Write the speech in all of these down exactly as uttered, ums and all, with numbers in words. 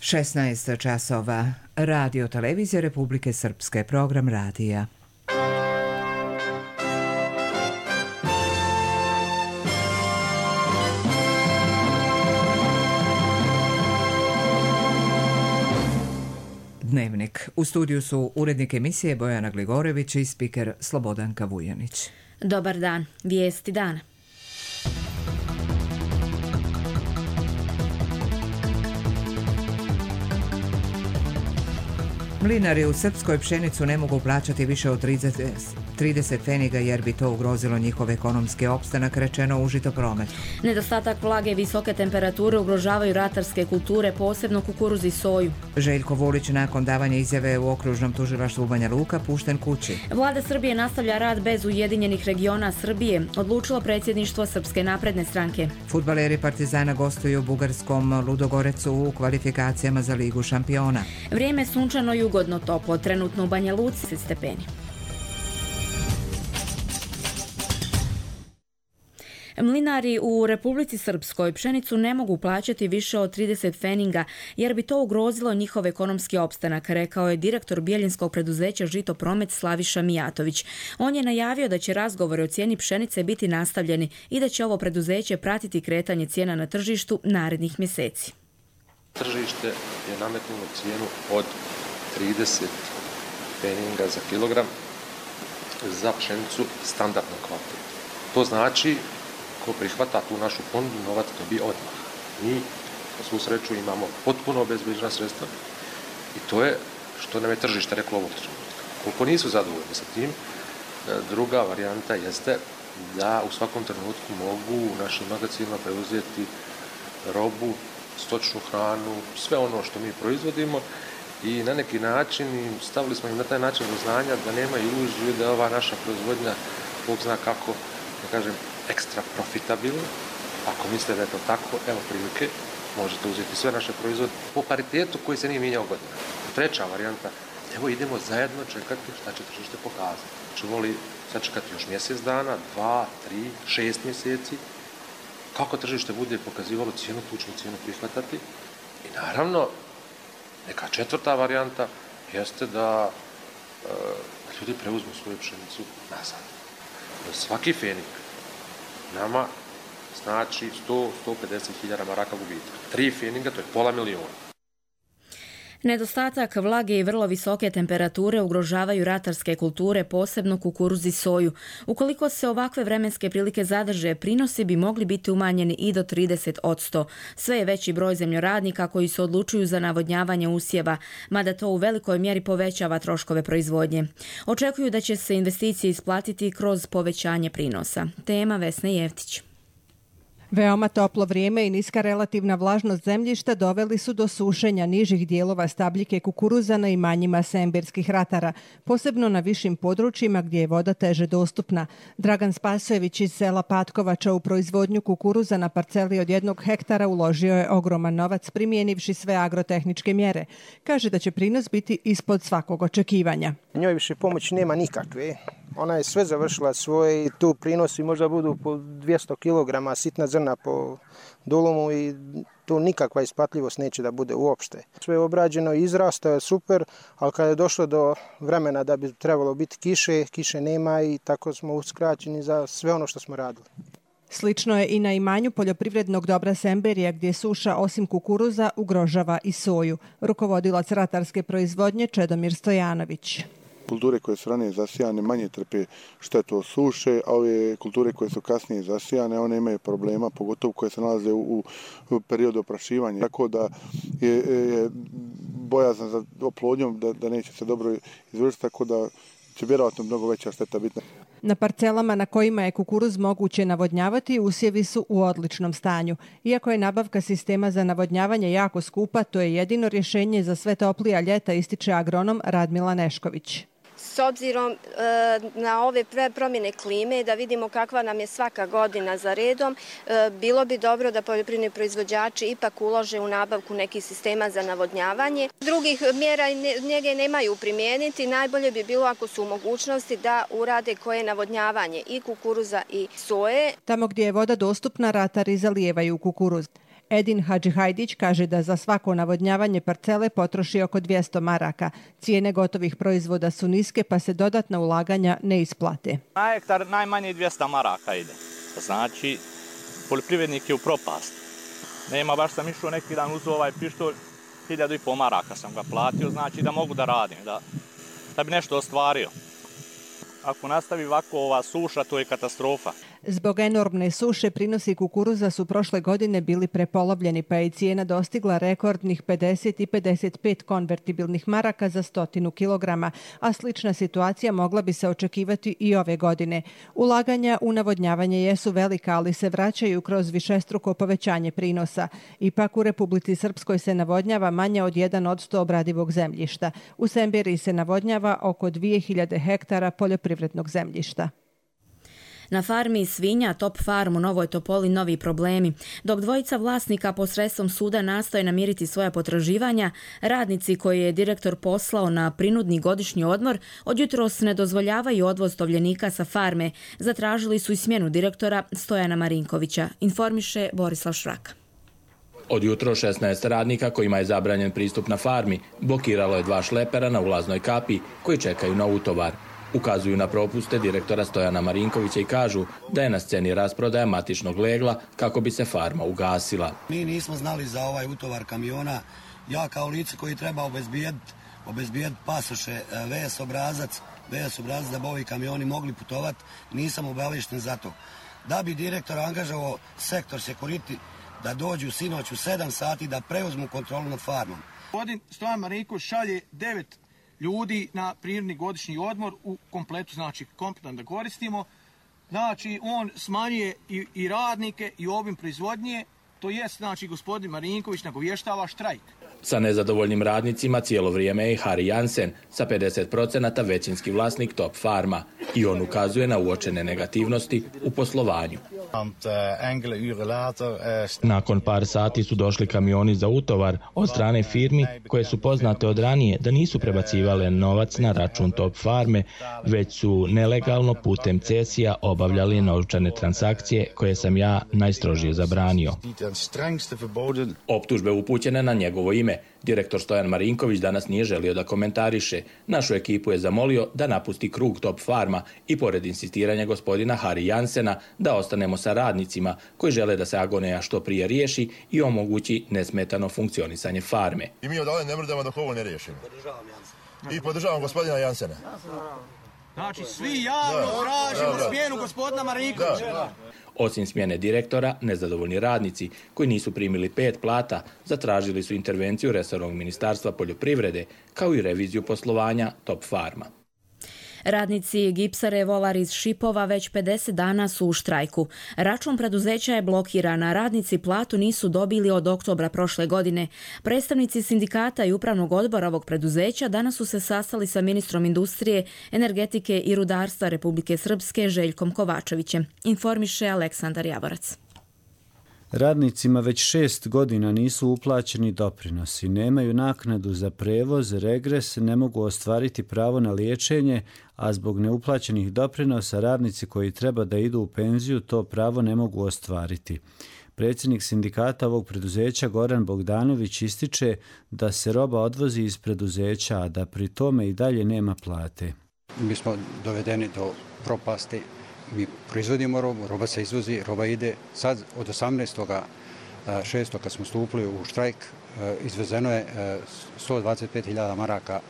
šesnaest časova. Radio Televizija Republike Srpske, program radija. Dnevnik. U studiju su urednik emisije Bojana Gligorević i spiker Slobodanka Vujanić. Dobar dan. Vijesti dana. Mlinari u Srpskoj pšenicu ne mogu plaćati više od trideset pfeniga jer bi to ugrozilo njihov ekonomski opstanak, rečeno u Žitoprometu. Nedostatak vlage i visoke temperature ugrožavaju ratarske kulture, posebno kukuruz i soju. Željko Vulić nakon davanja izjave u okružnom tužilaštvu u Banja Luka pušten kući. Vlada Srbije nastavlja rad bez Ujedinjenih regiona Srbije, odlučilo predsjedništvo Srpske napredne stranke. Fudbaleri Partizana gostuju u bugarskom Ludogorecu u kvalifikacijama za Ligu šampiona. Vrijeme je sunčano i ugodno toplo, trenutno u Banja Luci stepeni. Mlinari u Republici Srpskoj pšenicu ne mogu plaćati više od trideset pfeninga jer bi to ugrozilo njihov ekonomski opstanak, rekao je direktor bijeljinskog preduzeća Žitopromet Slaviša Mijatović. On je najavio da će razgovori o cijeni pšenice biti nastavljeni i da će ovo preduzeće pratiti kretanje cijena na tržištu narednih mjeseci. Tržište je nametnulo cijenu od trideset pfeninga za kilogram za pšenicu standardnog kvaliteta. To znači ko prihvata tu našu ponudu, novac dobije odmah. Mi, na svu sreću, imamo potpuno obezbeđena sredstva i to je što nam je tržište reklo ovog trenutka. Koliko nisu zadovoljni sa tim, druga varijanta jeste da u svakom trenutku mogu u našim magazinima preuzeti robu, stočnu hranu, sve ono što mi proizvodimo i na neki način stavili smo im na taj način do znanja da nema iluziju da je ova naša proizvodnja, Bog zna kako, da kažem, ekstra profitabilna. Ako mislite da je to tako, evo prilike, možete uzeti sve naše proizvode po paritetu koji se nije mijenjao godina. Treća varijanta, evo idemo zajedno čekati šta će tržište pokazati. Čemo li sačekati još mjesec dana, dva, tri, šest mjeseci, kako tržište bude pokazivalo cijenu, tu ćemo cijenu prihvatati. I naravno, neka četvrta varijanta jeste da e, ljudi preuzmu svoju pšenicu nazad. Svaki fenik nama znači sto do sto pedeset hiljada maraka gubitka. Tri feninga, to je pola miliona. Nedostatak vlage i vrlo visoke temperature ugrožavaju ratarske kulture, posebno kukuruz i soju. Ukoliko se ovakve vremenske prilike zadrže, prinosi bi mogli biti umanjeni i do trideset posto. Sve je veći broj zemljoradnika koji se odlučuju za navodnjavanje usjeva, mada to u velikoj mjeri povećava troškove proizvodnje. Očekuju da će se investicije isplatiti kroz povećanje prinosa. Tema Vesne Jeftić. Veoma toplo vrijeme i niska relativna vlažnost zemljišta doveli su do sušenja nižih dijelova stabljike kukuruza na imanjima semberskih ratara, posebno na višim područjima gdje je voda teže dostupna. Dragan Spasojević iz sela Patkovača u proizvodnju kukuruza na parceli od jednog hektara uložio je ogroman novac primijenivši sve agrotehničke mjere. Kaže da će prinos biti ispod svakog očekivanja. Njoj više pomoći nema nikakve. Ona je sve završila svoje i tu prinosi možda budu po dvjesto kilograma sitna zrna po dolomu i tu nikakva isplatljivost neće da bude uopšte. Sve je obrađeno i izrastao je super, ali kada je došlo do vremena da bi trebalo biti kiše, kiše nema i tako smo uskraćeni za sve ono što smo radili. Slično je i na imanju poljoprivrednog dobra Semberija gdje suša osim kukuruza ugrožava i soju. Rukovodilac ratarske proizvodnje Čedomir Stojanović. Kulture koje su ranije zasijane manje trpe štetu od suše, a ove kulture koje su kasnije zasijane, one imaju problema, pogotovo koje se nalaze u, u periodu oprašivanja. Tako da je, je bojazan za oplodnjom da, da neće se dobro izvršiti, tako da će vjerojatno mnogo veća šteta biti. Na parcelama na kojima je kukuruz moguće navodnjavati, usjevi su u odličnom stanju. Iako je nabavka sistema za navodnjavanje jako skupa, to je jedino rješenje za sve toplija ljeta, ističe agronom Radmila Nešković. S obzirom e, na ove promjene klime, da vidimo kakva nam je svaka godina za redom, e, bilo bi dobro da poljoprivredni proizvođači ipak ulože u nabavku nekih sistema za navodnjavanje. Drugih mjera njege nemaju primijeniti. Najbolje bi bilo ako su u mogućnosti da urade koje navodnjavanje i kukuruza i soje. Tamo gdje je voda dostupna, ratari zalijevaju kukuruz. Edin Hadžihajdić kaže da za svako navodnjavanje parcele potroši oko dvjesto maraka. Cijene gotovih proizvoda su niske pa se dodatna ulaganja ne isplate. Na hektar najmanje dvjesto maraka ide. Znači, poljoprivrednik je u propast. Nema, baš sam išao neki dan uz ovaj pištolj, hiljadu i pol maraka sam ga platio, znači da mogu da radim, da, da bi nešto ostvario. Ako nastavi ovako ova suša, to je katastrofa. Zbog enormne suše prinosi kukuruza su prošle godine bili prepolovljeni, pa je cijena dostigla rekordnih pedeset i pedeset pet konvertibilnih maraka za stotinu kilograma, a slična situacija mogla bi se očekivati i ove godine. Ulaganja u navodnjavanje jesu velika, ali se vraćaju kroz višestruko povećanje prinosa. Ipak u Republici Srpskoj se navodnjava manje od jedan posto obradivog zemljišta. U Semberiji se navodnjava oko dvije hiljade hektara poljoprivrednog zemljišta. Na farmi svinja Top Farm u Novoj Topoli novi problemi. Dok dvojica vlasnika posredstvom suda nastoje namiriti svoja potraživanja, radnici koji je direktor poslao na prinudni godišnji odmor od jutros ne dozvoljavaju odvoz tovljenika sa farme. Zatražili su i smjenu direktora Stojana Marinkovića, informiše Borislav Šraka. Od jutro šesnaest radnika kojima je zabranjen pristup na farmi blokiralo je dva šlepera na ulaznoj kapi koji čekaju na utovar. Ukazuju na propuste direktora Stojana Marinkovića i kažu da je na sceni rasprodaja matičnog legla kako bi se farma ugasila. Mi nismo znali za ovaj utovar kamiona. Ja kao lice koji treba obezbijediti obezbijediti pasoše, V S obrazac, V S obrazac da bi ovi kamioni mogli putovati, nisam obavješten za to. Da bi direktor angažovao sektor security da dođu sinoć u sedam sati da preuzmu kontrolu nad farmom. Gospodin Stojan Marinković šalje devet ljudi na prirodni godišnji odmor u kompletu, znači kompletan da koristimo. Znači on smanjuje i, i radnike i obim proizvodnje, to jest znači gospodin Marinković nagovještava štrajk. Sa nezadovoljnim radnicima cijelo vrijeme je Harry Jansen, sa pedeset posto većinski vlasnik Top Farma, i on ukazuje na uočene negativnosti u poslovanju. Nakon par sati su došli kamioni za utovar od strane firmi koje su poznate od ranije da nisu prebacivale novac na račun Top Farme, već su nelegalno putem cesija obavljali novčane transakcije koje sam ja najstrožije zabranio. Optužbe upućene na njegovo ime direktor Stojan Marinković danas nije želio da komentariše. Našu ekipu je zamolio da napusti krug Top Farma i pored insistiranja gospodina Harry Jansena da ostanemo sa radnicima koji žele da se agonija što prije riješi i omogući nesmetano funkcionisanje farme. I mi odavde ne mrdamo dok ovo ne riješimo. I podržavam gospodina Jansena. Znači svi javno tražimo smjenu gospodina Marinkovića. Osim smjene direktora, nezadovoljni radnici koji nisu primili pet plata zatražili su intervenciju resornog ministarstva poljoprivrede kao i reviziju poslovanja Top Farma. Radnici Gipsare Volar iz Šipova već pedeset dana su u štrajku. Račun preduzeća je blokiran, a radnici platu nisu dobili od oktobra prošle godine. Predstavnici sindikata i upravnog odbora ovog preduzeća danas su se sastali sa ministrom industrije, energetike i rudarstva Republike Srpske Željkom Kovačevićem, informiše Aleksandar Javorac. Radnicima već šest godina nisu uplaćeni doprinosi, nemaju naknadu za prevoz, regres, ne mogu ostvariti pravo na liječenje, a zbog neuplaćenih doprinosa radnici koji treba da idu u penziju to pravo ne mogu ostvariti. Predsjednik sindikata ovog preduzeća Goran Bogdanović ističe da se roba odvozi iz preduzeća, a da pri tome i dalje nema plate. Mi smo dovedeni do propasti. Mi proizvodimo robu, roba se izvozi, roba ide. Sad od osamnaestog šestog kad smo stupili u štrajk, izvezeno je sto dvadeset pet hiljada maraka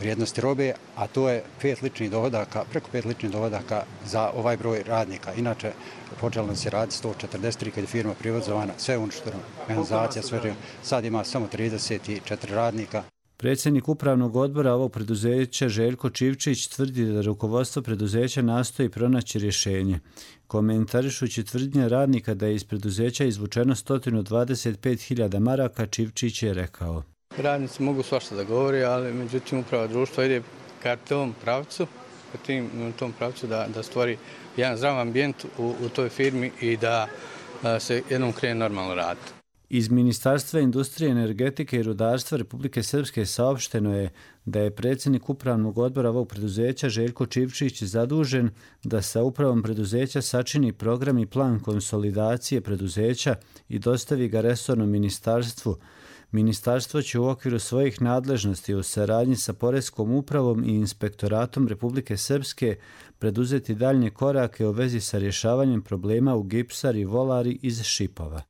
vrijednosti robe, a to je pet ličnih dohodaka, preko pet ličnih dohodaka za ovaj broj radnika. Inače, počelo nam se raditi sto četrdeset tri kad je firma privatizovana, sve uništeno, mehanizacija, sve. Sad ima samo trideset četiri radnika. Predsjednik upravnog odbora ovog preduzeća Željko Čivčić tvrdi da rukovodstvo preduzeća nastoji pronaći rješenje. Komentarišući tvrdnje radnika da je iz preduzeća izvučeno sto dvadeset pet hiljada maraka, Čivčić je rekao: Radnici mogu svašta da govori, ali međutim uprava društva ide ka tom pravcu, ka tim, tom pravcu da, da stvori jedan zdrav ambijent u, u toj firmi i da, da se jednom krene normalno raditi. Iz Ministarstva industrije, energetike i rudarstva Republike Srpske saopšteno je da je predsjednik upravnog odbora ovog preduzeća Željko Čivčić zadužen da sa upravom preduzeća sačini program i plan konsolidacije preduzeća i dostavi ga resornom ministarstvu. Ministarstvo će u okviru svojih nadležnosti u saradnji sa Poreskom upravom i Inspektoratom Republike Srpske preduzeti daljnje korake u vezi sa rješavanjem problema u Gipsari i Volari iz Šipova.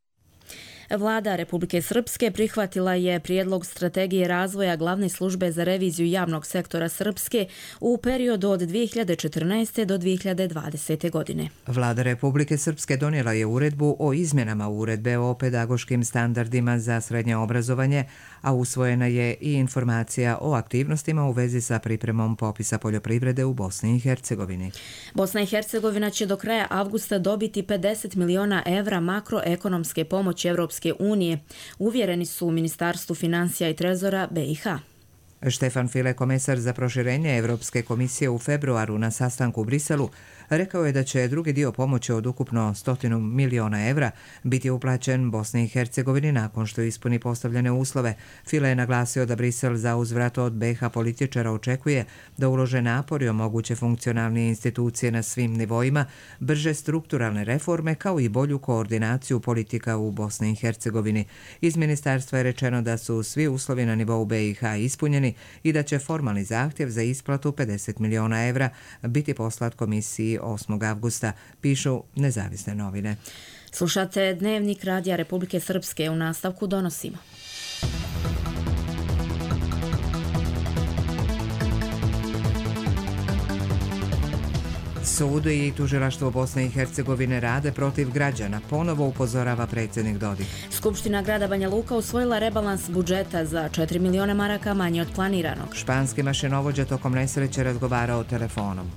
Vlada Republike Srpske prihvatila je prijedlog strategije razvoja glavne službe za reviziju javnog sektora Srpske u periodu od dvije hiljade četrnaeste. do dvije hiljade dvadesete. godine. Vlada Republike Srpske donijela je uredbu o izmjenama uredbe o pedagoškim standardima za srednje obrazovanje, a usvojena je i informacija o aktivnostima u vezi sa pripremom popisa poljoprivrede u Bosni i Hercegovini. Bosna i Hercegovina će do kraja avgusta dobiti pedeset miliona evra makroekonomske pomoći Evropske unije, uvjereni su u Ministarstvu financija i trezora B i H. Štefan File, komesar za proširenje Evropske komisije u februaru na sastanku u Briselu, rekao je da će drugi dio pomoći od ukupno stotinu miliona evra biti uplaćen Bosni i Hercegovini nakon što ispuni postavljene uslove. File je naglasio da Brisel za uzvrat od B i H političara očekuje da ulože napor i omoguće funkcionalne institucije na svim nivoima, brže strukturalne reforme kao i bolju koordinaciju politika u Bosni i Hercegovini. Iz ministarstva je rečeno da su svi uslovi na nivou B i H ispunjeni i da će formalni zahtjev za isplatu pedeset miliona evra biti poslat komisiji osmog avgusta, pišu nezavisne novine. Slušate Dnevnik Radija Republike Srpske, u nastavku donosimo. Sud i tužilaštvo Bosne i Hercegovine rade protiv građana, ponovo upozorava predsjednik Dodik. Skupština grada Banja Luka usvojila rebalans budžeta za četiri miliona maraka manje od planiranog. Španski mašinovođa tokom nesreće razgovarao telefonom.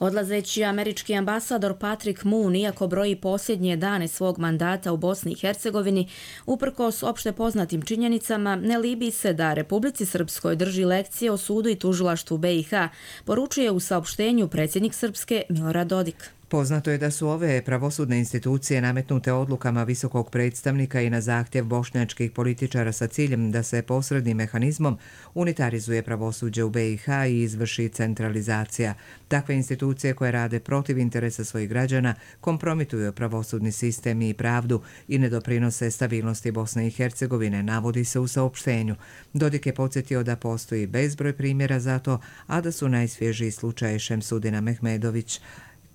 Odlazeći američki ambasador Patrick Moon, iako broji posljednje dane svog mandata u Bosni i Hercegovini, uprkos opšte poznatim činjenicama, ne libi se da Republici Srpskoj drži lekcije o sudu i tužilaštvu B i H, poručuje u saopštenju predsjednik Srpske Milorad Dodik. Poznato je da su ove pravosudne institucije nametnute odlukama visokog predstavnika i na zahtjev bošnjačkih političara sa ciljem da se posrednim mehanizmom unitarizuje pravosuđe u B i H i izvrši centralizacija. Takve institucije koje rade protiv interesa svojih građana kompromituju pravosudni sistem i pravdu i ne doprinose stabilnosti Bosne i Hercegovine, navodi se u saopštenju. Dodik je podsjetio da postoji bezbroj primjera za to, a da su najsvježiji slučaj Šemsudina Mehmedović,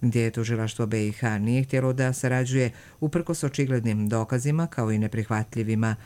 gdje je tužilaštvo B i H nije htjelo da sarađuje uprkos očiglednim dokazima kao i neprihvatljivima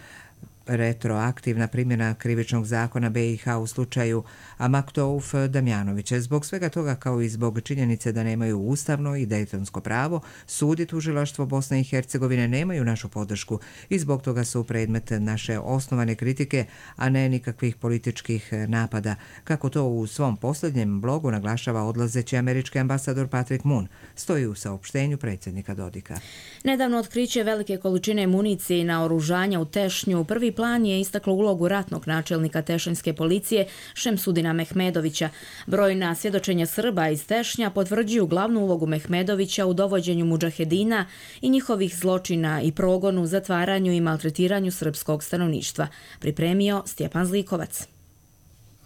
retroaktivna primjena krivičnog zakona B i H u slučaju Amaktouf Damjanovića. Zbog svega toga, kao i zbog činjenice da nemaju ustavno i dejtonsko pravo, sud i tužilaštvo Bosne i Hercegovine nemaju našu podršku i zbog toga su predmet naše osnovane kritike, a ne nikakvih političkih napada, kako to u svom posljednjem blogu naglašava odlazeći američki ambasador Patrick Moon, stoji u saopštenju predsjednika Dodika. Nedavno otkriće velike količine municije i naoružanja u Tešnju prvi plan je istaklo ulogu ratnog načelnika tešanjske policije Šemsudina Mehmedovića. Brojna svjedočenja Srba iz Tešnja potvrđuju glavnu ulogu Mehmedovića u dovođenju mudžahedina i njihovih zločina i progonu, zatvaranju i maltretiranju srpskog stanovništva, pripremio Stjepan Zlikovac.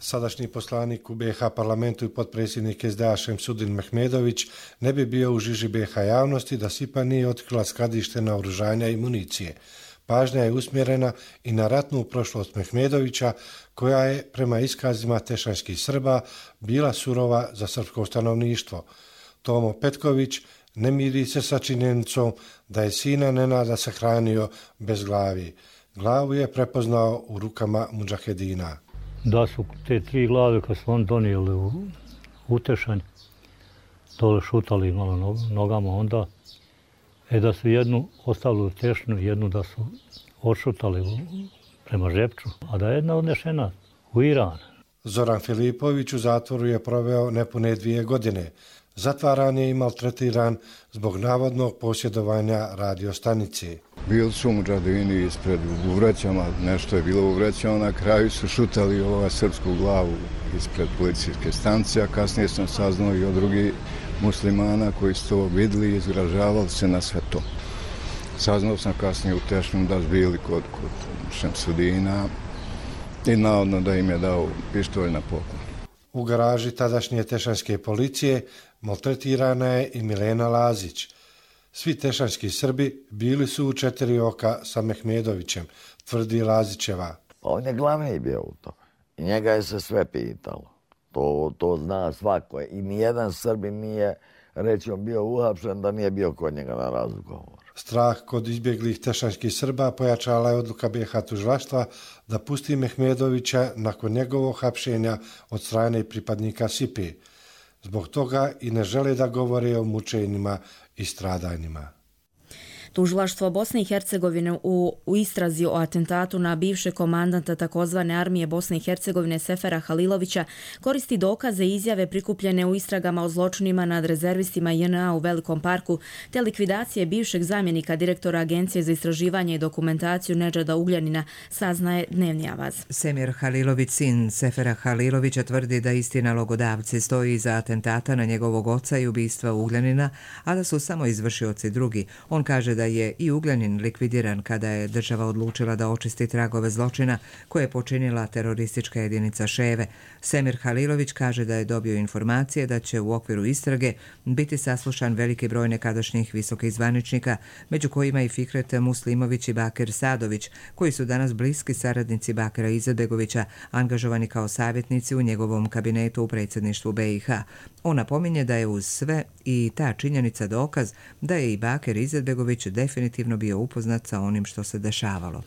Sadašnji poslanik u B i H parlamentu i potpredsjednik S D A Šemsudin Mehmedović ne bi bio u žiži B i H javnosti da S I P A nije otkrila skladište naoružanja i municije. Pažnja je usmjerena i na ratnu prošlost Mehmedovića, koja je, prema iskazima tešanjskih Srba, bila surova za srpsko stanovništvo. Tomo Petković ne miri se sa činjenicom da je sina Nenada sahranio bez glavi. Glavu je prepoznao u rukama mudžahedina. Da su te tri glave kad su on donijeli u Utešanj, dole šutali malo nogama onda, e da su jednu ostavili u Tešnju, jednu da su odšutali prema Žepču, a da je jedna odnešena u Iran. Zoran Filipović u zatvoru je proveo nepune dvije godine. Zatvaran je i maltretiran zbog navodnog posjedovanja radiostanice. Bili su mudžahedini ispred u vrećama, nešto je bilo u vrećama, na kraju su šutali ovu srpsku glavu ispred policijske stanice, a kasnije sam saznao i od drugih muslimana koji su to vidjeli i izgražavali se na sve to. Saznao sam kasnije u Tešnju da su bili kod, kod Šemsudina i navodno da im je dao pištolj na poklon. U garaži tadašnje tešanske policije maltretirana je i Milena Lazić. Svi tešanski Srbi bili su u četiri oka sa Mehmedovićem, tvrdi Lazićeva. On je glavni bio u to. I njega je se sve pitalo. To, to zna svako. I nijedan Srbin nije, rećom, bio uhapšen da nije bio kod njega na razgovoru. Strah kod izbjeglih tešanskih Srba pojačala je odluka B iH tužilaštva da pusti Mehmedovića nakon njegovog hapšenja od strane pripadnika S I P E. Zbog toga i ne žele da govore o mučenjima i stradanjima. Tužilaštvo Bosne i Hercegovine u, u istrazi o atentatu na bivšeg komandanta takozvane armije Bosne i Hercegovine Sefera Halilovića koristi dokaze i izjave prikupljene u istragama o zločinima nad rezervistima J N A u Velikom parku te likvidacije bivšeg zamjenika direktora Agencije za istraživanje i dokumentaciju Nedžada Ugljanina, saznaje Dnevni Avaz. Semir Halilović, sin Sefera Halilovića, tvrdi da isti nalogodavci stoji iza atentata na njegovog oca i ubistva Ugljanina, a da su samo izvršioci drugi. On kaže da da je i Ugljanin likvidiran kada je država odlučila da očisti tragove zločina koje je počinila teroristička jedinica Ševe. Semir Halilović kaže da je dobio informacije da će u okviru istrage biti saslušan veliki broj nekadašnjih visokih zvaničnika, među kojima i Fikret Muslimović i Bakir Sadović, koji su danas bliski saradnici Bakira Izetbegovića, angažovani kao savjetnici u njegovom kabinetu u predsjedništvu B iH. On napominje da je uz sve i ta činjenica dokaz da je i Bakir Izetbegović definitivno bio upoznat sa onim što se dešavalo.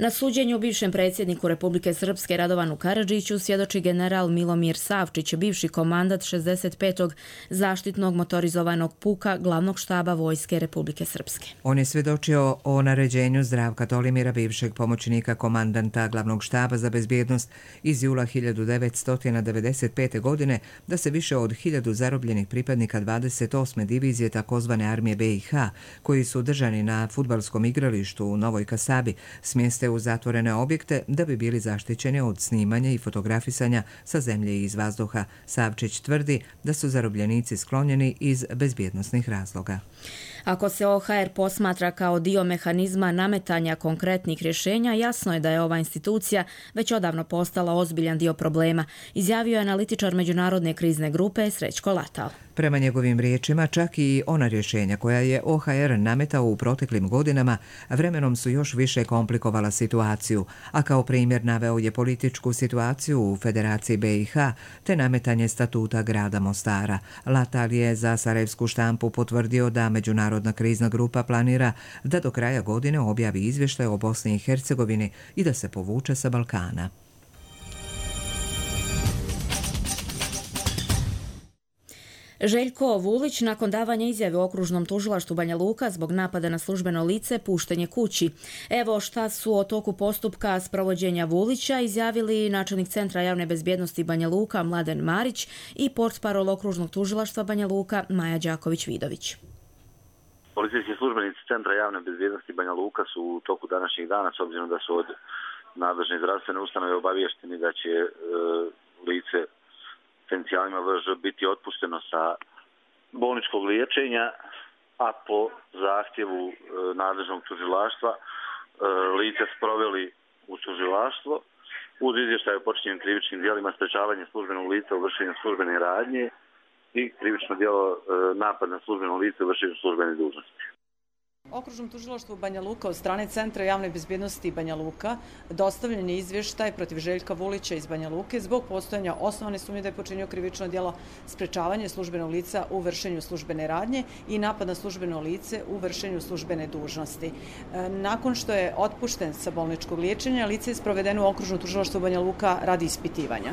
Na suđenju bivšem predsjedniku Republike Srpske Radovanu Karadžiću svjedoči general Milomir Savčić, bivši komandant šezdeset petog zaštitnog motorizovanog puka glavnog štaba Vojske Republike Srpske. On je svjedočio o naređenju Zdravka Tolimira, bivšeg pomoćnika komandanta glavnog štaba za bezbjednost iz jula hiljadu devetsto devedeset pete. godine da se više od hiljadu zarobljenih pripadnika dvadeset osme divizije takozvane armije B iH, koji su držani na fudbalskom igralištu u Novoj Kasabi, smjeste u zatvorene objekte da bi bili zaštićeni od snimanja i fotografisanja sa zemlje i iz vazduha. Savčić tvrdi da su zarobljenici sklonjeni iz bezbjednosnih razloga. Ako se O H R posmatra kao dio mehanizma nametanja konkretnih rješenja, jasno je da je ova institucija već odavno postala ozbiljan dio problema, izjavio je analitičar Međunarodne krizne grupe Srećko Latal. Prema njegovim riječima, čak i ona rješenja koja je O H R nametao u proteklim godinama vremenom su još više komplikovala situaciju, a kao primjer naveo je političku situaciju u Federaciji B iH te nametanje statuta grada Mostara. Latal je za sarajevsku štampu potvrdio da Međunarodna krizna grupa planira da do kraja godine objavi izvještaj o Bosni i Hercegovini i da se povuče sa Balkana. Željko Vulić, nakon davanja izjave u okružnom tužilaštvu Banja Luka zbog napada na službeno lice, pušten je kući. Evo šta su o toku postupka sprovođenja Vulića izjavili načelnik Centra javne bezbjednosti Banja Luka Mladen Marić i portparol okružnog tužilaštva Banja Luka Maja Đaković-Vidović. Policijski službenici Centra javne bezbjednosti Banja Luka su u toku današnjih dana, s obzirom da su od nadležne zdravstvene ustanove obaviješteni da će e, lice potencijalima V Ž biti otpušteno sa bolničkog liječenja, a po zahtjevu e, nadležnog tužilaštva e, lice sproveli u tužilaštvo uz izvještaj o počinjenim krivičnim djelima sprečavanje službenog lica u vršenju službene radnje i krivično djelo e, napad na službeno lice u vršenju službene dužnosti. Okružnom tužilaštvu Banja Luka od strane Centra javne bezbjednosti Banja Luka dostavljen je izvještaj protiv Željka Vulića iz Banja Luke zbog postojanja osnovane sumnje da je počinio krivično djelo sprečavanje službenog lica u vršenju službene radnje i napad na službeno lice u vršenju službene dužnosti. Nakon što je otpušten sa bolničkog liječenja, lice je sprovedeno u okružno tužilaštvo Banja Luka radi ispitivanja.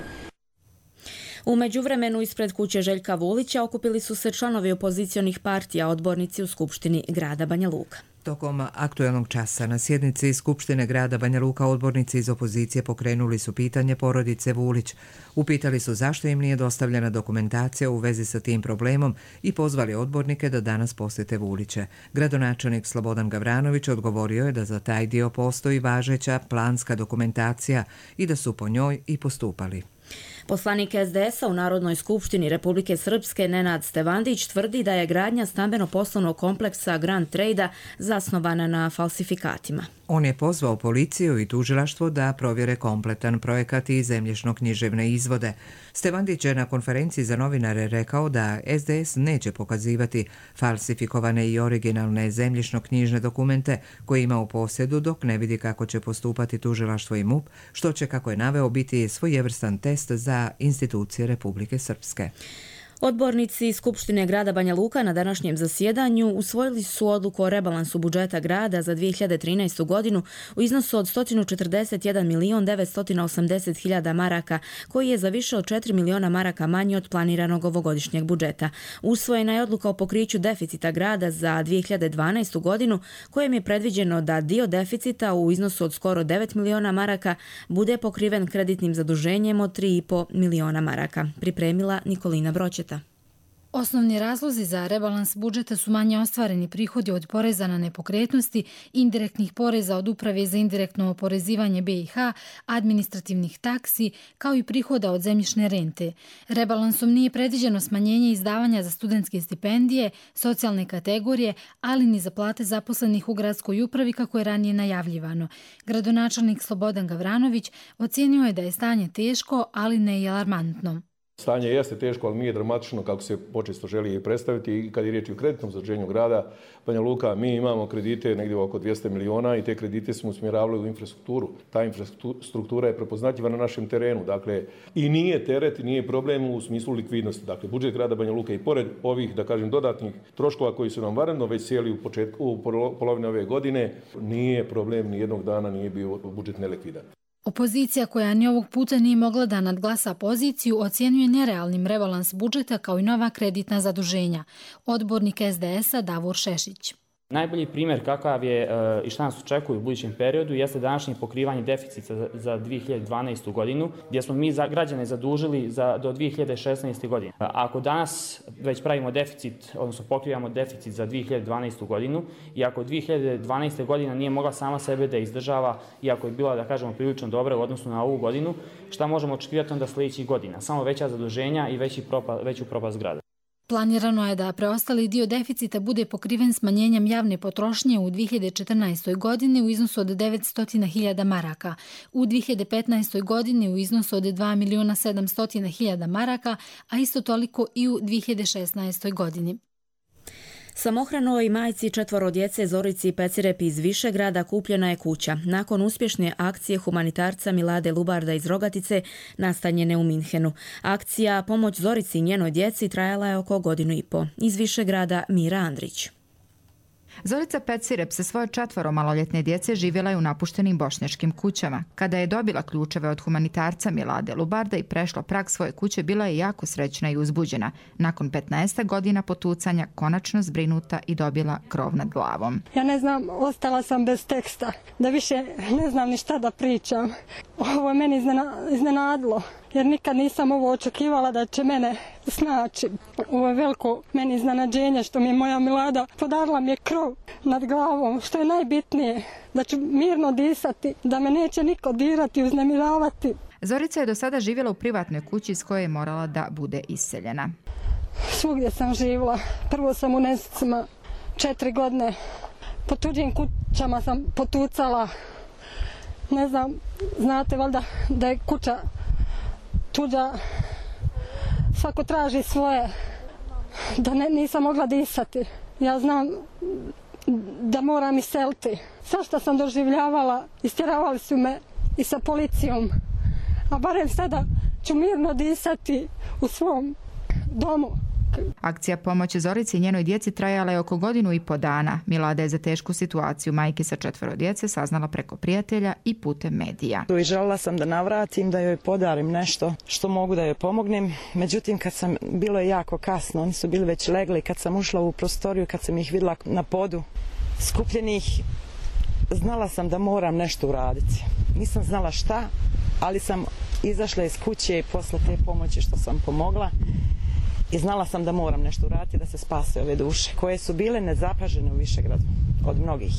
U međuvremenu ispred kuće Željka Vulića okupili su se članovi opozicionih partija, odbornici u Skupštini grada Banja Luka. Tokom aktuelnog časa na sjednici Skupštine grada Banja Luka odbornici iz opozicije pokrenuli su pitanje porodice Vulić. Upitali su zašto im nije dostavljena dokumentacija u vezi sa tim problemom i pozvali odbornike da danas posjete Vuliće. Gradonačelnik Slobodan Gavranović odgovorio je da za taj dio postoji važeća planska dokumentacija i da su po njoj i postupali. Poslanik es de es a u Narodnoj skupštini Republike Srpske Nenad Stevandić tvrdi da je gradnja stambeno-poslovnog kompleksa Grand Trade-a zasnovana na falsifikatima. On je pozvao policiju i tužilaštvo da provjere kompletan projekat i zemljišno-književne izvode. Stevandić je na konferenciji za novinare rekao da es de es neće pokazivati falsifikovane i originalne zemljišno-knjižne dokumente koje ima u posjedu dok ne vidi kako će postupati tužilaštvo i M U P, što će, kako je naveo, biti svojevrstan test za institucije Republike Srpske. Odbornici Skupštine grada Banja Luka na današnjem zasjedanju usvojili su odluku o rebalansu budžeta grada za dvije hiljade trinaestu. godinu u iznosu od sto četrdeset jedan milion devetsto osamdeset hiljada maraka, koji je za više od četiri miliona maraka manji od planiranog ovogodišnjeg budžeta. Usvojena je odluka o pokriću deficita grada za dvije hiljade dvanaestu. godinu, kojem je predviđeno da dio deficita u iznosu od skoro devet miliona maraka bude pokriven kreditnim zaduženjem od tri i po miliona maraka. Pripremila Nikolina Broćeta. Osnovni razlozi za rebalans budžeta su manje ostvareni prihodi od poreza na nepokretnosti, indirektnih poreza od Uprave za indirektno oporezivanje be i ha, administrativnih taksi, kao i prihoda od zemljišne rente. Rebalansom nije predviđeno smanjenje izdavanja za studentske stipendije, socijalne kategorije, ali ni za plate zaposlenih u gradskoj upravi kako je ranije najavljivano. Gradonačelnik Slobodan Gavranović ocijenio je da je stanje teško, ali ne i alarmantno. Stanje jeste teško, ali nije dramatično kako se počesto želi predstaviti. I kad je riječ o kreditnom zaduženju grada Banja Luka, mi imamo kredite negdje oko dvjesto miliona i te kredite smo usmjeravali u infrastrukturu. Ta infrastruktura je prepoznatljiva na našem terenu. Dakle, i nije teret, nije problem u smislu likvidnosti. Dakle, budžet grada Banja Luka i pored ovih, da kažem, dodatnih troškova koji su nam vanredno već sjeli u, početku, u polovini ove godine, nije problem, ni jednog dana nije bio budžet nelikvidan. Opozicija, koja ni ovog puta nije mogla da nadglasa poziciju, ocjenjuje nerealnim rebalans budžeta kao i nova kreditna zaduženja. Odbornik es de es a Davor Šešić. Najbolji primjer kakav je i šta nas očekuje u budućem periodu jeste današnje pokrivanje deficita za dvije hiljade dvanaestu. godinu, gdje smo mi za građane zadužili za, do dvije hiljade šesnaeste. godine. Ako danas već pravimo deficit, odnosno pokrivamo deficit za dvije hiljade dvanaestu. godinu i ako dvije hiljade dvanaeste. godina nije mogla sama sebe da izdržava, iako je bila, da kažemo, prilično dobra u odnosu na ovu godinu, šta možemo očekivati onda sljedećih godina? Samo veća zaduženja i veći propa, veću propast grada. Planirano je da preostali dio deficita bude pokriven smanjenjem javne potrošnje u dvije hiljade četrnaestoj. godini u iznosu od devetsto hiljada maraka, u dvije hiljade petnaestoj. godini u iznosu od dva miliona sedamsto hiljada maraka, a isto toliko i u dvije hiljade šesnaestoj. godini. Samohranoj majci četvoro djece Zorici Pecirep iz Višegrada kupljena je kuća. Nakon uspješne akcije humanitarca Milade Lubarda iz Rogatice, nastanjene u Minhenu. Akcija Pomoć Zorici i njenoj djeci trajala je oko godinu i po. Iz Višegrada Mira Andrić. Zorica Pecirep sa svoje četvoro maloljetne djece živjela je u napuštenim bošnjačkim kućama. Kada je dobila ključeve od humanitarca Milade Lubarda i prešla prag svoje kuće, bila je jako srećna i uzbuđena. Nakon petnaest godina potucanja, konačno zbrinuta i dobila krov nad glavom. Ja ne znam, ostala sam bez teksta, da više ne znam ni šta da pričam. Ovo je meni iznenadilo, jer nikad nisam ovo očekivala da će mene snaći. Ovo je veliko meni iznenađenje što mi je moja Milada podarila mi je krov nad glavom, što je najbitnije, da ću mirno disati, da me neće niko dirati i uznemiravati. Zorica je do sada živjela u privatnoj kući iz koje je morala da bude iseljena. Svugdje sam živjela. Prvo sam u Nesicima četiri godine. Po tuđim kućama sam potucala. Ne znam, znate valjda da je kuća tuđa, svako traži svoje, da ne, nisam mogla disati. Ja znam da moram iseliti. Sve što sam doživljavala, istjeravali su me i sa policijom, a barem sada ću mirno disati u svom domu. Akcija Pomoć Zorici i njenoj djeci trajala je oko godinu i po dana. Milada je za tešku situaciju majke sa četvoro djece saznala preko prijatelja i putem medija. I željela sam da navratim, da joj podarim nešto što mogu da joj pomognem. Međutim, kad sam, bilo je jako kasno, oni su bili već legli. Kad sam ušla u prostoriju, kad sam ih vidjela na podu skupljenih, znala sam da moram nešto uraditi. Nisam znala šta, ali sam izašla iz kuće posle te pomoći što sam pomogla. I znala sam da moram nešto uraditi da se spase ove duše koje su bile nezapažene u Višegradu od mnogih.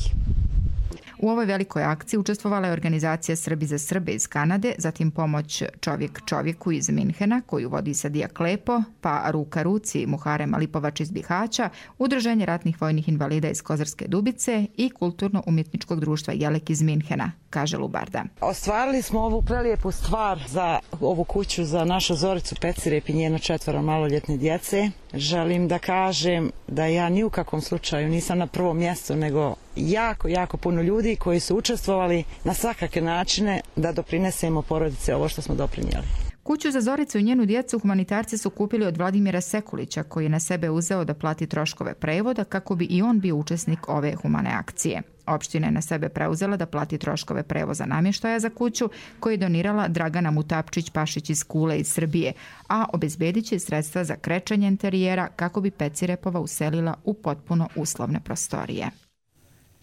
U ovoj velikoj akciji učestvovala je organizacija Srbi za Srbe iz Kanade, zatim pomoć Čovjek čovjeku iz Minhena, koju vodi Sadija Klepo, pa Ruka ruci Muharem Alipovač iz Bihaća, Udruženje ratnih vojnih invalida iz Kozarske Dubice i Kulturno-umjetničkog društva Jelek iz Minhena, kaže Lubarda. Ostvarili smo ovu prelijepu stvar za ovu kuću za našu Zoricu Pecirep i njeno četvoro maloljetne djece. Želim da kažem da ja ni u kakvom slučaju nisam na prvom mjestu, nego jako, jako puno ljudi koji su učestvovali na svakakve načine da doprinesemo porodice ovo što smo doprinijeli. Kuću za Zoricu i njenu djecu humanitarci su kupili od Vladimira Sekulića, koji je na sebe uzeo da plati troškove prevoda kako bi i on bio učesnik ove humane akcije. Opština je na sebe preuzela da plati troškove prevoza namještaja za kuću, koji je donirala Dragana Mutapčić-Pašić iz Kule iz Srbije, a obezbedit će sredstva za krečenje interijera kako bi Pecirepova uselila u potpuno uslovne prostorije.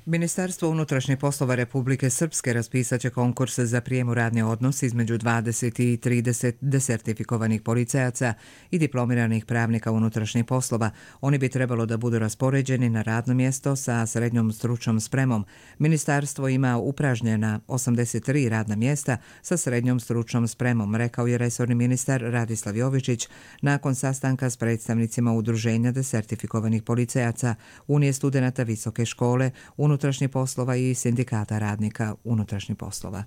Ministarstvo unutrašnjih poslova Republike Srpske raspisat će konkurs za prijem u radni odnos između dvadeset i trideset desertifikovanih policajaca i diplomiranih pravnika unutrašnjih poslova. Oni bi trebalo da budu raspoređeni na radno mjesto sa srednjom stručnom spremom. Ministarstvo ima upražnjena osamdeset tri radna mjesta sa srednjom stručnom spremom, rekao je resorni ministar Radislav Jovičić nakon sastanka s predstavnicima Udruženja desertifikovanih policajaca, Unije studenata visoke škole, unutrašnjih poslova i sindikata radnika unutrašnjih poslova.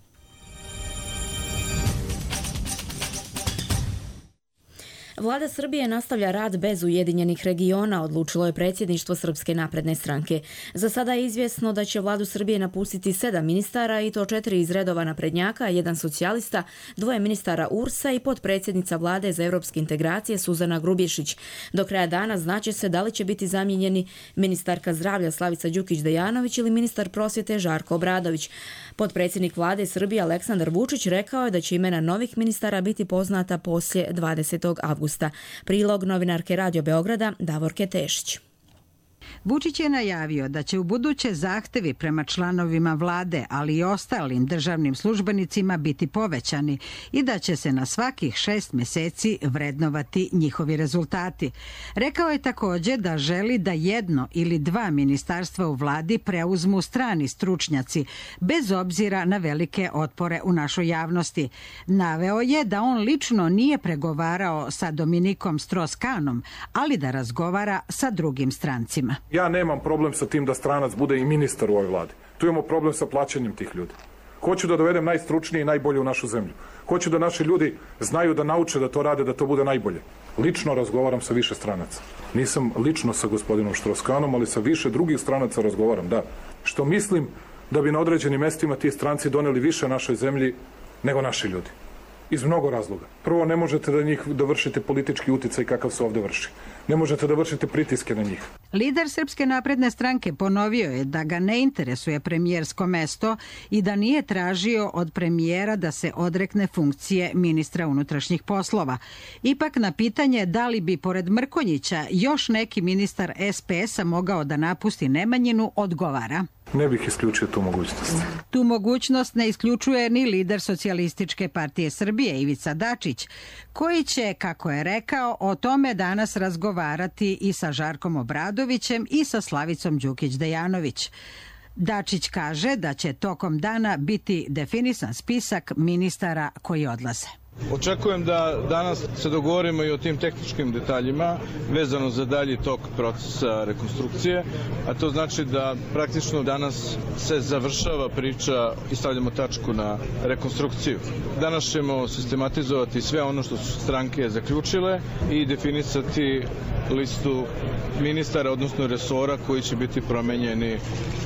Vlada Srbije nastavlja rad bez Ujedinjenih regiona, odlučilo je predsjedništvo Srpske napredne stranke. Za sada je izvjesno da će vladu Srbije napustiti sedam ministara i to četiri iz redova naprednjaka, jedan socijalista, dvoje ministara U R S-a i potpredsjednica vlade za evropske integracije Suzana Grubješić. Do kraja dana znaće se da li će biti zamijenjeni ministarka zdravlja Slavica Đukić-Dejanović ili ministar prosvjete Žarko Obradović. Potpredsjednik vlade Srbije Aleksandar Vučić rekao je da će imena novih ministara biti poznata poslije dvadesetog avgusta. Prilog novinarke Radio Beograda Davorke Tešić. Vučić je najavio da će u buduće zahtevi prema članovima vlade, ali i ostalim državnim službenicima biti povećani i da će se na svakih šest mjeseci vrednovati njihovi rezultati. Rekao je također da želi da jedno ili dva ministarstva u vladi preuzmu strani stručnjaci, bez obzira na velike otpore u našoj javnosti. Naveo je da on lično nije pregovarao sa Dominikom Strauss-Kahnom, ali da razgovara sa drugim strancima. Ja nemam problem sa tim da stranac bude i ministar u ovoj vladi. Tu imamo problem sa plaćanjem tih ljudi. Hoću da dovedem najstručnije i najbolje u našu zemlju. Hoću da naši ljudi znaju da nauče da to rade, da to bude najbolje. Lično razgovaram sa više stranaca. Nisam lično sa gospodinom Strauss-Kahnom, ali sa više drugih stranaca razgovaram, da. Što mislim da bi na određenim mestima ti stranci doneli više našoj zemlji nego naši ljudi. Iz mnogo razloga. Prvo, ne možete da njih da vršite politički uticaj kakav se ovdje vrši. Ne možete da vršite pritiske na njih. Lider Srpske napredne stranke ponovio je da ga ne interesuje premijersko mesto i da nije tražio od premijera da se odrekne funkcije ministra unutrašnjih poslova. Ipak na pitanje da li bi pored Mrkonjića još neki ministar S P S-a mogao da napusti Nemanjinu, odgovara: Ne bih isključio tu mogućnost. Tu mogućnost ne isključuje ni lider Socijalističke partije Srbije Ivica Dačić, koji će, kako je rekao, o tome danas razgovarati i sa Žarkom Obradovićem i sa Slavicom Đukić-Dejanović. Dačić kaže da će tokom dana biti definisan spisak ministara koji odlaze. Očekujem da danas se dogovorimo i o tim tehničkim detaljima vezano za dalji tok procesa rekonstrukcije, a to znači da praktično danas se završava priča i stavljamo tačku na rekonstrukciju. Danas ćemo sistematizovati sve ono što su stranke zaključile i definisati listu ministara, odnosno resora koji će biti promenjeni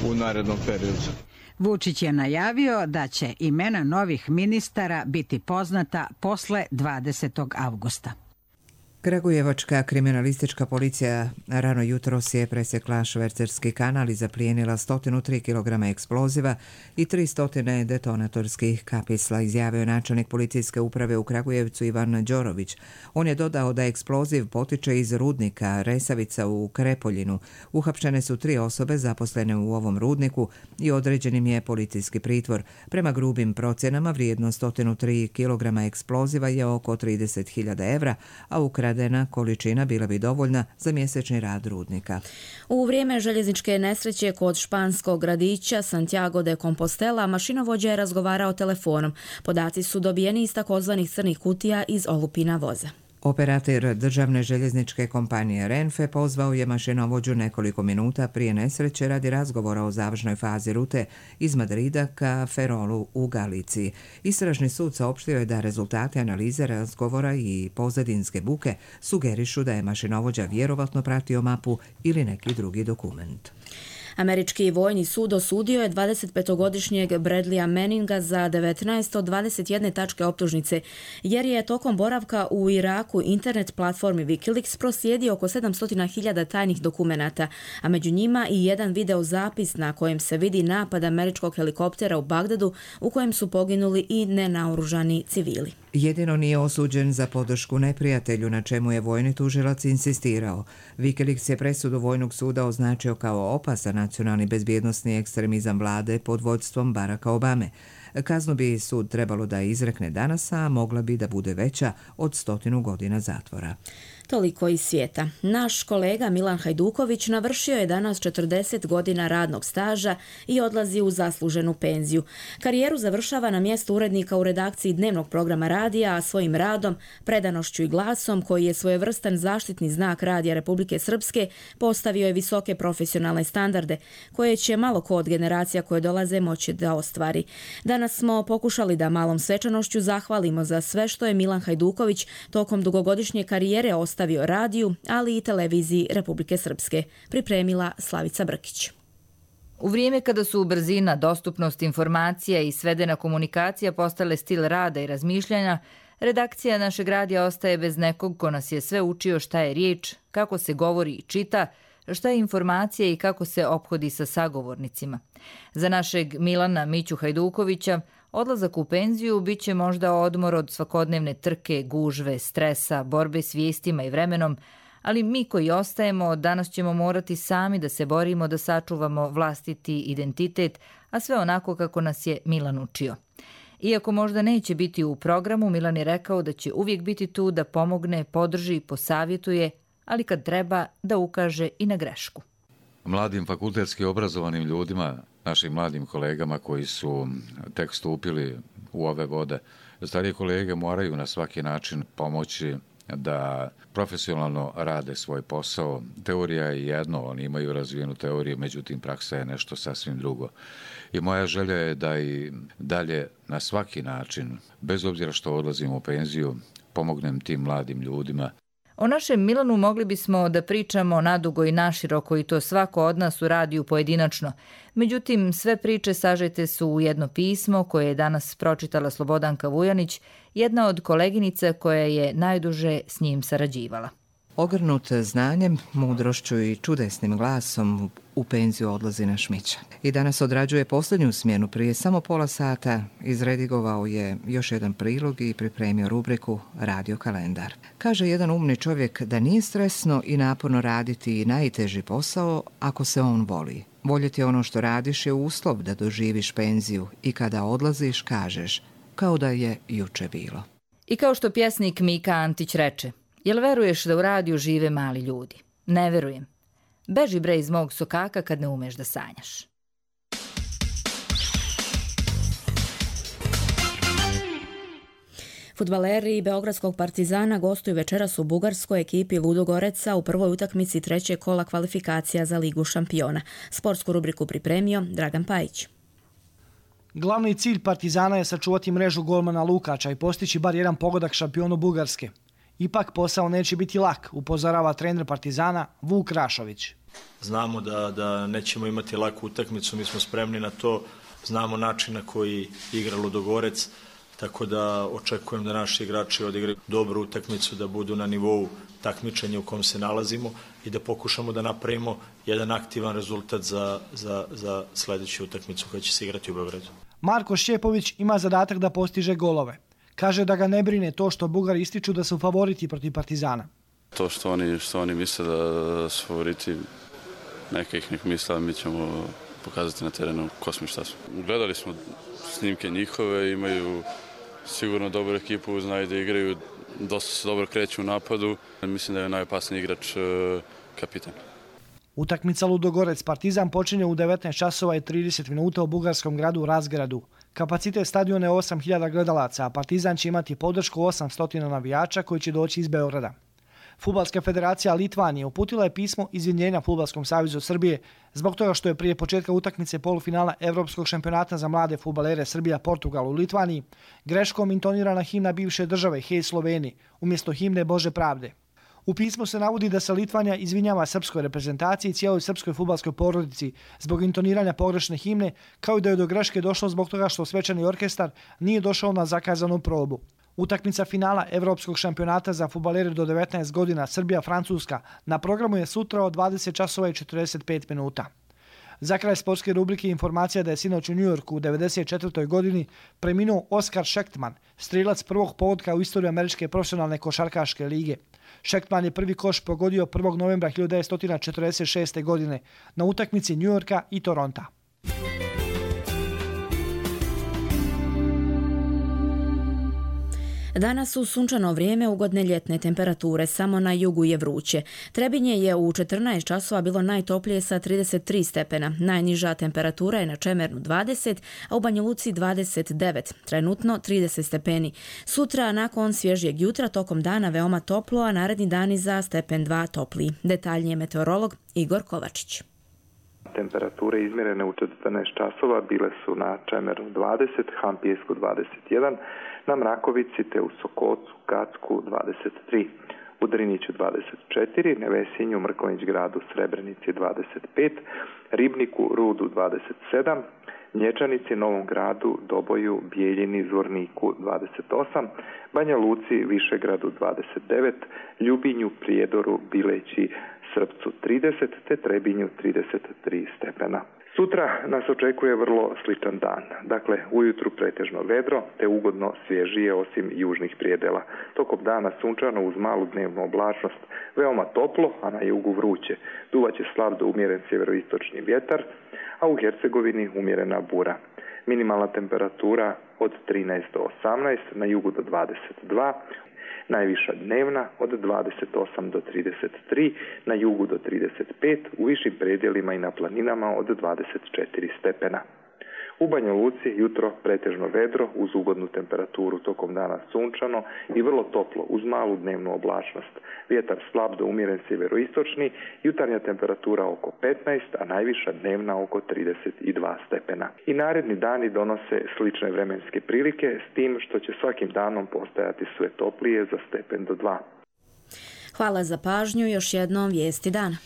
u narednom periodu. Vučić je najavio da će imena novih ministara biti poznata posle dvadesetog avgusta. Kragujevačka kriminalistička policija rano jutros je presjekla švercerski kanal i zaplijenila sto tri kilograma eksploziva i tristo detonatorskih kapisla, izjavio načelnik policijske uprave u Kragujevcu Ivan Đorović. On je dodao da eksploziv potiče iz rudnika Resavica u Krepoljinu. Uhapšene su tri osobe zaposlene u ovom rudniku i određenim je policijski pritvor. Prema grubim procjenama vrijednost sto tri kilograma eksploziva je oko trideset hiljada evra, a ukradeni Zaradena količina bila bi dovoljna za mjesečni rad rudnika. U vrijeme željezničke nesreće kod španskog gradića Santiago de Compostela mašinovođa je razgovarao telefonom. Podaci su dobijeni iz takozvanih crnih kutija iz olupina voza. Operator državne željezničke kompanije Renfe pozvao je mašinovođu nekoliko minuta prije nesreće radi razgovora o završnoj fazi rute iz Madrida ka Ferrolu u Galiciji. Istražni sud saopštio je da rezultate analize razgovora i pozadinske buke sugerišu da je mašinovođa vjerovatno pratio mapu ili neki drugi dokument. Američki vojni sud osudio je dvadesetpetogodišnjeg Bradleya Manninga za devetnaest od dvadeset jedne tačke optužnice, jer je tokom boravka u Iraku internet platformi Wikileaks proslijedio oko sedamsto hiljada tajnih dokumenata, a među njima i jedan video zapis na kojem se vidi napad američkog helikoptera u Bagdadu u kojem su poginuli i nenaoružani civili. Jedino nije osuđen za podršku neprijatelju, na čemu je vojni tužilac insistirao. Wikileaks je presudu vojnog suda označio kao opasan nacionalni bezbjednosni ekstremizam vlade pod vodstvom Baracka Obame. Kaznu bi sud trebalo da izrekne danas, a mogla bi da bude veća od stotinu godina zatvora. Toliko iz svijeta. Naš kolega Milan Hajduković navršio je danas četrdeset godina radnog staža i odlazi u zasluženu penziju. Karijeru završava na mjestu urednika u redakciji dnevnog programa radija, a svojim radom, predanošću i glasom, koji je svojevrstan zaštitni znak Radija Republike Srpske, postavio je visoke profesionalne standarde, koje će malo ko od generacija koje dolaze moći da ostvari. Danas smo pokušali da malom svečanošću zahvalimo za sve što je Milan Hajduković tokom dugogodišnje karijere ostavio radiju, ali i televiziji Republike Srpske, pripremila Slavica Brkić. U vrijeme kada su brzina, dostupnost informacija i svedena komunikacija postale stil rada i razmišljanja, redakcija našeg radija ostaje bez nekog ko nas je sve učio šta je riječ, kako se govori i čita, šta je informacija i kako se ophodi sa sagovornicima. Za našeg Milana Miću Hajdukovića odlazak u penziju bit će možda odmor od svakodnevne trke, gužve, stresa, borbe s vijestima i vremenom, ali mi koji ostajemo danas ćemo morati sami da se borimo da sačuvamo vlastiti identitet, a sve onako kako nas je Milan učio. Iako možda neće biti u programu, Milan je rekao da će uvijek biti tu da pomogne, podrži i posavjetuje, ali kad treba da ukaže i na grešku. Mladim fakultetski obrazovanim ljudima, našim mladim kolegama koji su tek stupili u ove vode, starije kolege moraju na svaki način pomoći da profesionalno rade svoj posao. Teorija je jedno, oni imaju razvijenu teoriju, međutim praksa je nešto sasvim drugo. I moja želja je da i dalje na svaki način, bez obzira što odlazim u penziju, pomognem tim mladim ljudima. O našem Milanu mogli bismo da pričamo nadugo i naširoko i to svako od nas u radiju pojedinačno. Međutim, sve priče sažete su u jedno pismo koje je danas pročitala Slobodanka Vujanić, jedna od koleginica koja je najduže s njim sarađivala. Ogrnut znanjem, mudrošću i čudesnim glasom u penziju odlazi naš Mića. I danas odrađuje posljednju smjenu. Prije samo pola sata izredigovao je još jedan prilog i pripremio rubriku Radio kalendar. Kaže jedan umni čovjek da nije stresno i naporno raditi i najteži posao ako se on voli. Voljeti ono što radiš je uslov da doživiš penziju i kada odlaziš kažeš kao da je juče bilo. I kao što pjesnik Mika Antić reče, jel veruješ da u radiju žive mali ljudi? Ne verujem. Beži bre iz mog sokaka kad ne umeš da sanjaš. Fudbaleri Beogradskog Partizana gostuju večeras u bugarskoj ekipi Ludogoreca u prvoj utakmici trećeg kola kvalifikacija za Ligu šampiona. Sportsku rubriku pripremio Dragan Pajić. Glavni cilj Partizana je sačuvati mrežu golmana Lukača i postići bar jedan pogodak šampionu Bugarske. Ipak posao neće biti lak, upozorava trener Partizana Vuk Rašović. Znamo da, da nećemo imati laku utakmicu, mi smo spremni na to, znamo način na koji igra Ludogorec, tako da očekujem da naši igrači odigraju dobru utakmicu, da budu na nivou takmičenja u kom se nalazimo i da pokušamo da napravimo jedan aktivan rezultat za, za, za sljedeću utakmicu koja će se igrati u Beogradu. Marko Šćepović ima zadatak da postiže golove. Kaže da ga ne brine to što Bugari ističu da su favoriti protiv Partizana. To što oni, što oni misle da su favoriti, neka ih nek misle, mi ćemo pokazati na terenu ko smo i šta smo. Gledali smo snimke njihove, imaju sigurno dobru ekipu, znaju da igraju dosta se dobro kreću u napadu. Mislim da je najopasniji igrač kapitan. Utakmica Ludogorec Partizan počinje u devetnaest časova i trideset minuta u bugarskom gradu Razgradu. Kapacitet stadiona je osam hiljada gledalaca, a Partizan će imati podršku osamsto navijača koji će doći iz Beograda. Fudbalska federacija Litvanije uputila je pismo izvinjenja Fudbalskom savezu Srbije zbog toga što je prije početka utakmice polufinala Evropskog šampionata za mlade fudbalere Srbija-Portugal u Litvaniji greškom intonirana himna bivše države Hej Sloveni umjesto himne Bože pravde. U pismu se navodi da se Litvanija izvinjava srpskoj reprezentaciji i cijeloj srpskoj fudbalskoj porodici zbog intoniranja pogrešne himne, kao i da je do greške došlo zbog toga što svečani orkestar nije došao na zakazanu probu. Utakmica finala Evropskog šampionata za fudbalere do devetnaest godina Srbija-Francuska na programu je sutra od dvadeset časova i četrdeset pet minuta. Za kraj sportske rubrike informacija da je sinoć u Njujorku u devedeset četvrtoj godini preminuo Oskar Schechtman, strilac prvog pogotka u istoriji američke profesionalne košarkaške lige. Schechtman je prvi koš pogodio prvog novembra hiljadu devetsto četrdeset šeste. godine na utakmici Njujorka i Toronta. Danas su sunčano vrijeme, ugodne ljetne temperature, samo na jugu je vruće. Trebinje je u četrnaest časova bilo najtoplije sa trideset tri stepena. Najniža temperatura je na Čemernu dvadeset, a u Banja Luci dvadeset devet, trenutno trideset stepeni. Sutra nakon svježijeg jutra tokom dana veoma toplo, a naredni dani za stepen dva topliji. Detaljnije meteorolog Igor Kovačić. Temperature izmjerene u četrnaest časova bile su na Čemeru dvadeset, Hampijesku dvadeset jedan, na Mrakovici te u Sokocu, Gacku dvadeset tri, u Driniću dvadeset četiri, Nevesinju, Mrkonjić gradu, Srebrenici dvadeset pet, Ribniku, Rudu dvadeset sedam, Nječanici, Novom gradu, Doboju, Bijeljini, Zvorniku dvadeset osam, Banja Luci, Višegradu dvadeset devet, Ljubinju, Prijedoru, Bileći, Srpcu trideset te Trebinju trideset tri stepena. Sutra nas očekuje vrlo sličan dan. Dakle, ujutru pretežno vedro te ugodno svježije osim južnih prijedela. Tokom dana sunčano uz malu dnevnu oblačnost, veoma toplo, a na jugu vruće. Duvaće slab do umjeren sjeveroistočni vjetar, a u Hercegovini umjerena bura. Minimalna temperatura od trinaest do osamnaest, na jugu do dvadeset dva, najviša dnevna od dvadeset osam do trideset tri, na jugu do trideset pet, u višim predjelima i na planinama od dvadeset četiri stepena. U Banja Luci jutro pretežno vedro uz ugodnu temperaturu, tokom dana sunčano i vrlo toplo uz malu dnevnu oblačnost. Vjetar slab do umjeren sjeveroistočni, jutarnja temperatura oko petnaest, a najviša dnevna oko trideset dva stepena. I naredni dani donose slične vremenske prilike, s tim što će svakim danom postajati sve toplije za stepen do dva. Hvala za pažnju, još jednom vijesti dana.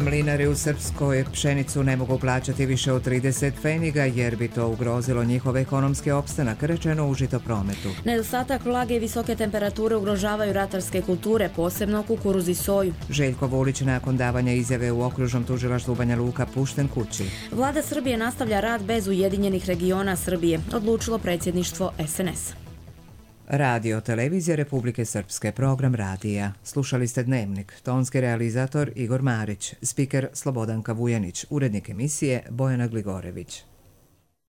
Mlinari u Srpskoj pšenicu ne mogu plaćati više od trideset pfeniga jer bi to ugrozilo njihov ekonomski opstanak, rečeno u Žitoprometu. Nedostatak vlage i visoke temperature ugrožavaju ratarske kulture, posebno kukuruz i soju. Željko Vulić nakon davanja izjave u okružnom tužilaštvu Banja Luka pušten kući. Vlada Srbije nastavlja rad bez Ujedinjenih regiona Srbije, odlučilo predsjedništvo es en es. Radio Televizija Republike Srpske, program radija. Slušali ste Dnevnik, tonski realizator Igor Marić, spiker Slobodanka Vujanić, urednik emisije Bojana Gligorević.